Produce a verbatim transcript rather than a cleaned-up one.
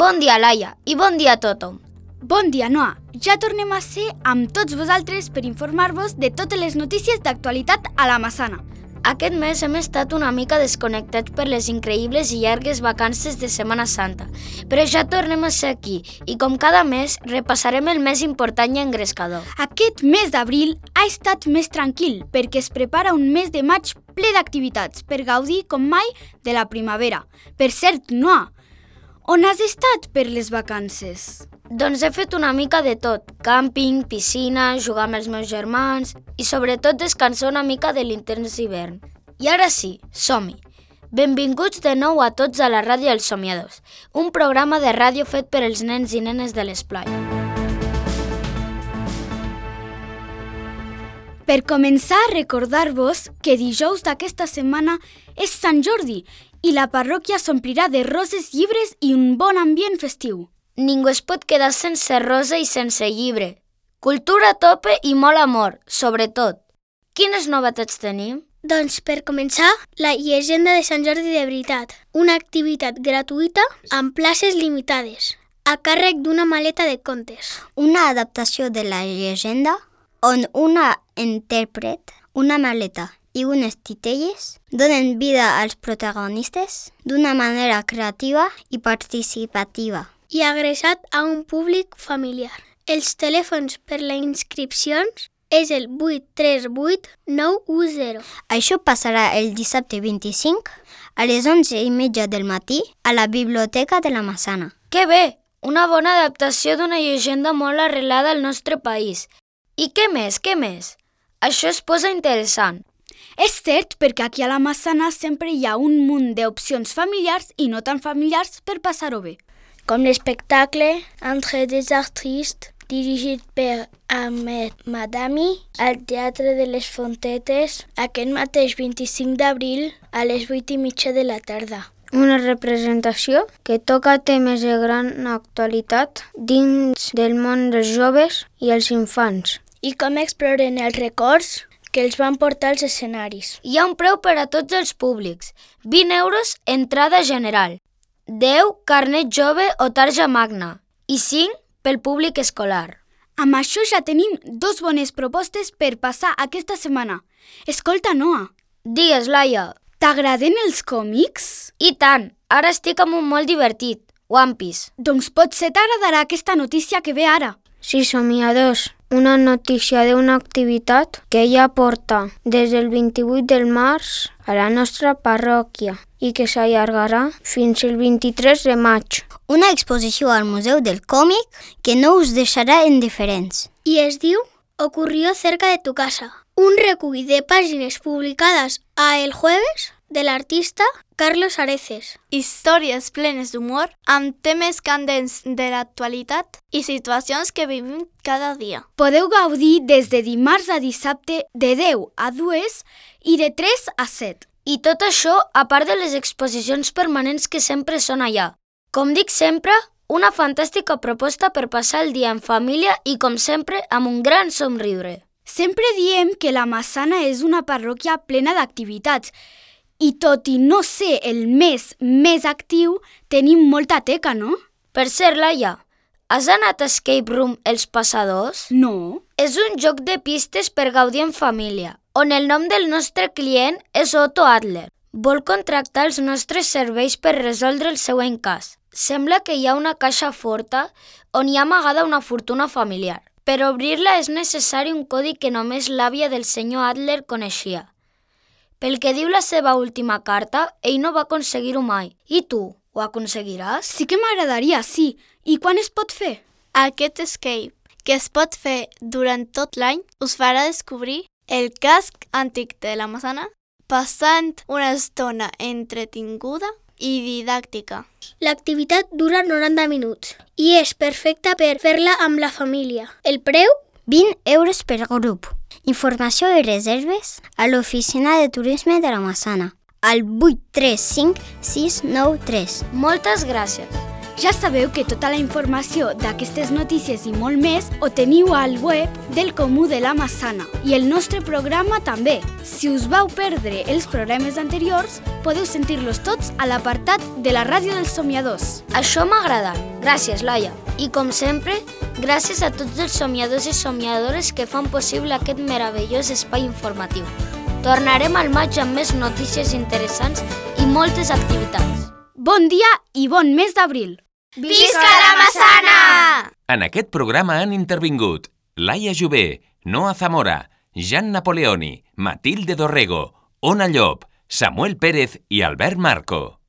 Bon dia, Laia, i bon dia a tothom. Bon dia, Noa. Ja tornem a ser amb tots vosaltres per informar-vos de totes les notícies d'actualitat a la Massana. Aquest mes hem estat una mica desconnectats per les increïbles i llargues vacances de Setmana Santa, però ja tornem a ser aquí i com cada mes repassarem el més important i engrescador. Aquest mes d'abril ha estat més tranquil perquè es prepara un mes de maig ple d'activitats per gaudir com mai de la primavera. Per cert, Noa, on has estat per les vacances? Doncs he fet una mica de tot, càmping, piscina, jugar amb els meus germans i sobretot descansar una mica de l'intens hivern. I ara sí, som-hi! Benvinguts de nou a tots a la Ràdio dels Somiadors, un programa de ràdio fet per als nens i nenes de l'esplai. Per començar, recordar-vos que dijous d'aquesta setmana és Sant Jordi i la parròquia s'omplirà de roses, llibres i un bon ambient festiu. Ningú es pot quedar sense rosa i sense llibre. Cultura a tope i molt amor, sobretot. Quines novetats tenim? Doncs per començar, la llegenda de Sant Jordi de veritat, una activitat gratuïta amb places limitades, a càrrec d'una maleta de contes. Una adaptació de la llegenda on una intèrpret, una maleta i unes titelles donen vida als protagonistes d'una manera creativa i participativa. I adreçat a un públic familiar. Els telèfons per les inscripcions és el vuit tres vuit nou u zero. Això passarà el dissabte vint-i-cinc a les onze i mitja del matí a la Biblioteca de la Massana. Que bé! Una bona adaptació d'una llegenda molt arrelada al nostre país. I què més, què més? Això es posa interessant. És cert perquè aquí a la Massana sempre hi ha un munt d'opcions familiars i no tan familiars per passar-ho bé. Com l'espectacle Entre des artistes, dirigit per Ahmed Madami, al Teatre de les Fontetes, aquest mateix vint-i-cinc d'abril a les vuit i mitja de la tarda. Una representació que toca temes de gran actualitat dins del món dels joves i els infants. I com exploren els records que els van portar als escenaris. Hi ha un preu per a tots els públics, vint euros entrada general. deu carnet jove o tarja magna i cinc pel públic escolar. Amb això ja tenim dos bones propostes per passar aquesta setmana. Escolta, Noa. Digues, Laia. T'agraden els còmics? I tant, ara estic amb un molt divertit, One Piece. Doncs potser t'agradarà aquesta notícia que ve ara. Sí, somiadors, una notícia d'una activitat que ja porta des del vint-i-vuit del març a la nostra parròquia i que s'allargarà fins el vint-i-tres de maig. Una exposició al Museu del Còmic que no us deixarà indiferents. I es diu Ocurrió cerca de tu casa. Un recull de pàgines publicades a El Jueves de l'artista Carlos Areces. Històries plenes d'humor amb temes candents de l'actualitat i situacions que vivim cada dia. Podeu gaudir des de dimarts a dissabte de deu a dues i de tres a set. I tot això a part de les exposicions permanents que sempre són allà. Com dic sempre, una fantàstica proposta per passar el dia en família i, com sempre, amb un gran somriure. Sempre diem que la Massana és una parròquia plena d'activitats i tot i no ser el mes més actiu, tenim molta teca, no? Per cert, Laia, has anat a Escape Room Els Passadors? No. És un joc de pistes per gaudir en família, on el nom del nostre client és Otto Adler. Vol contractar els nostres serveis per resoldre el següent cas. Sembla que hi ha una caixa forta on hi ha amagada una fortuna familiar. Per obrir-la és necessari un codi que només l'àvia del senyor Adler coneixia. Pel que diu la seva última carta, ell no va aconseguir-ho mai. I tu, ho aconseguiràs? Sí que m'agradaria, sí. I quan es pot fer? Aquest escape, que es pot fer durant tot l'any, us farà descobrir el casc antic de la Massana, passant una estona entretinguda i didàctica. L'activitat dura noranta minuts i és perfecta per fer-la amb la família. El preu? vint euros per grup. Informació i reserves a l'oficina de turisme de la Massana, al vuit tres cinc sis nou tres. Moltes gràcies. Ja sabeu que tota la informació d'aquestes notícies i molt més ho teniu al web del Comú de la Massana i el nostre programa també. Si us vau perdre els programes anteriors, podeu sentir-los tots a l'apartat de la Ràdio dels Somiadors. Això m'ha agradat. Gràcies, Laia. I com sempre, gràcies a tots els somiadors i somiadores que fan possible aquest meravellós espai informatiu. Tornarem al maig amb més notícies interessants i moltes activitats. Bon dia i bon mes d'abril! Visca la Massana! En aquest programa han intervingut Laia Jové, Noa Zamora, Jan Napoleoni, Matilde Dorrego, Ona Llop, Samuel Pérez i Albert Marco.